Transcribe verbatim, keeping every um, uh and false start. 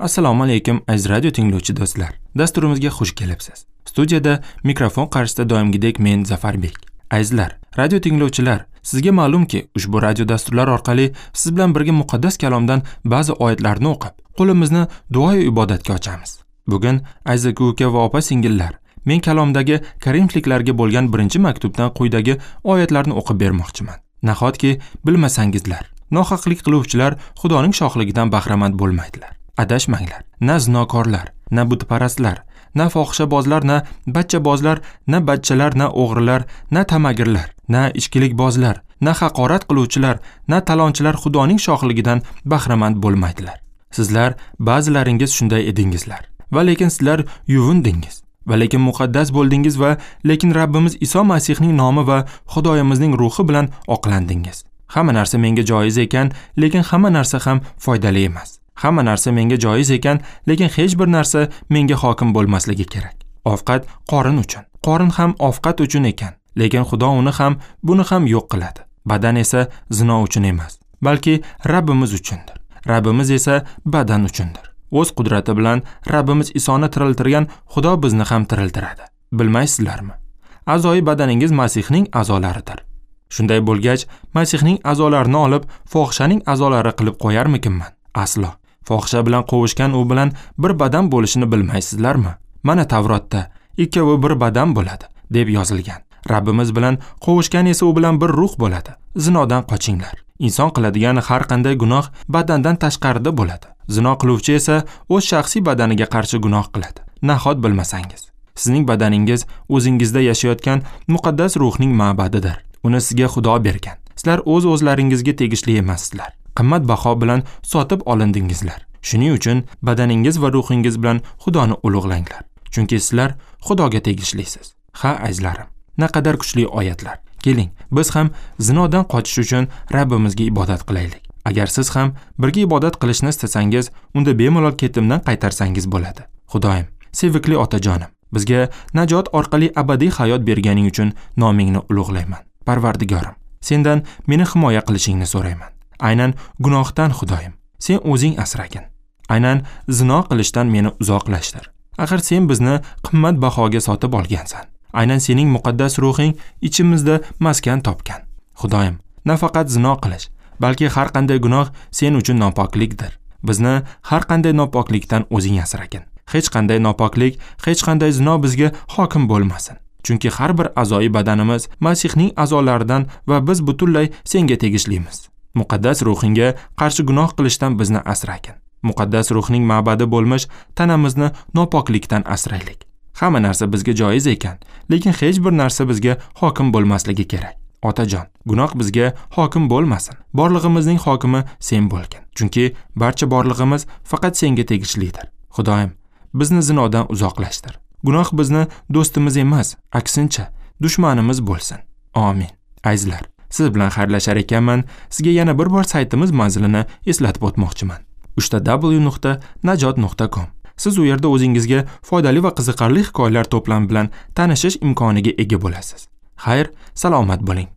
Assalomu alaykum aziz radio tinglovchi do'stlar. Dasturimizga xush kelibsiz. Studiyada mikrofon qarshisida doimgidek men Zafarbek. Azizlar, radio tinglovchilar, sizga ma'lumki, ushbu radio dasturlar orqali siz bilan birga muqaddas kalomdan ba'zi oyatlarni o'qib, qo'limizni duo va ibodatga ochamiz. Bugun aziz uka va opa-singillar, men kalomdagi Korinfliklarga bo'lgan birinchi maktubdan quyidagi oyatlarni o'qib bermoqchiman. Nahotki bilmasangizlar, nohaqlik qiluvchilar Xudoning shohligidan bahramand bo'lmaydilar. Adashmanglar. Na zinokorlar, na butparastlar, na fohishabozlar, na bachchabozlar, na bachchalar, na o'g'rilar, na tamagirlar, na ichkilikbozlar, na haqorat qiluvchilar, na talonchilar Xudoning shohligidan bahramand bo'lmaydilar. Sizlar ba'zilaringiz shunday edingizlar. Va lekin sizlar yuvindingiz, va lekin muqaddas bo'ldingiz va lekin Rabbimiz Iso Masihning nomi va Xudoyimizning ruhi bilan oqlandingiz. Hamma narsa menga joiz ekan, lekin hamma narsa ham foydali emas. Hamma narsa menga joiz ekan, lekin hech bir narsa menga hokim bo'lmasligi kerak. Ovqat qorin uchun, qorin ham ovqat uchun ekan, lekin Xudo uni ham, buni ham yo'q qiladi. Badan esa zino uchun emas, balki Rabbimiz uchundir. Rabbimiz esa badan uchundir. O'z qudrati bilan Rabbimiz Isoni tiriltirgan Xudo bizni ham tiriltiradi. Bilmaysizlarmi? A'zoyi badaningiz Masihning a'zolaridir. Shunday bo'lgach, Masihning a'zolarini olib, fohishaning a'zolari qilib qo'yarmikinman? Aslo. Fohisha bilan qovushgan u bilan bir badan bo'lishini bilmaysizlarmi? Mana Tavrotda ikkovi bir badan bo'ladi deb yozilgan. Rabbimiz bilan qovushgan esa u bilan bir ruh bo'ladi. Zinodan qochinglar. Inson qiladigan har qanday gunoh badandan tashqarida bo'ladi. Zino qiluvchi esa o'z shaxsiy badaniga qarshi gunoh qiladi. Nahot bilmasangiz, sizning badaningiz o'zingizda yashayotgan muqaddas ruhning ma'badidir. Uni sizga Xudo bergan. Sizlar o'z-o'zlaringizga tegishli emassizlar. Qimmatbaho bilan sotib olindingizlar. Shuning uchun badaningiz va ruhingiz bilan Xudoni ulug'langlar. Chunki sizlar Xudoga tegishlisiz. Ha, azizlarim, naqadar kuchli oyatlar. Keling, biz ham zinodan qochish uchun Rabbimizga ibodat qilaylik. Agar siz ham birga ibodat qilishni istasangiz, unda bemalol ketimdan qaytarsangiz bo'ladi. Xudoyim, sevikli otajonim, bizga najot orqali abadiy hayot berganing uchun nomingni ulug'layman. Parvardigorim, sendan meni himoya qilishingni so'rayman. Aynan gunohdan Xudoyim, sen o'zing asragin. Aynan zino qilishdan meni uzoqlashtir. Axir sen bizni qimmat bahoga sotib olgansan. Aynan sening muqaddas ruhing ichimizda maskan topgan. Xudoyim, nafaqat zino qilish, balki har qanday gunoh sen uchun nopoklikdir. Bizni har qanday nopoklikdan o'zing asragin. Hech qanday nopoklik, hech qanday zino bizga hokim bo'lmasin. Chunki har bir a'zoyi badanimiz Masihning a'zolaridan va biz butunlay senga tegishlimiz. Muqaddas ruhingga qarshi gunoh qilishdan bizni asragin. Muqaddas ruhning ma'badi bo'lmish tanamizni nopoklikdan asraylik. Hamma narsa bizga joiz ekan, lekin hech bir narsa bizga hokim bo'lmasligi kerak. Otajon, gunoh bizga hokim bo'lmasin. Borlig'imizning hokimi sen bo'lgin. Chunki barcha borlig'imiz faqat senga tegishlidir. Xudoyim, bizni zinodan uzoqlashtir. Gunoh bizni do'stimiz emas, aksincha dushmanimiz bo'lsin. Amin. Azizlar, siz bilan xayrlashar ekanman, sizga yana bir bor saytimiz manzilini eslatib o'tmoqchiman. uch ta w nuqta najot nuqta com. Siz u yerda o'zingizga foydali va qiziqarli hikoyalar to'plami bilan tanishish imkoniga ega bo'lasiz. Xayr, salomat bo'ling.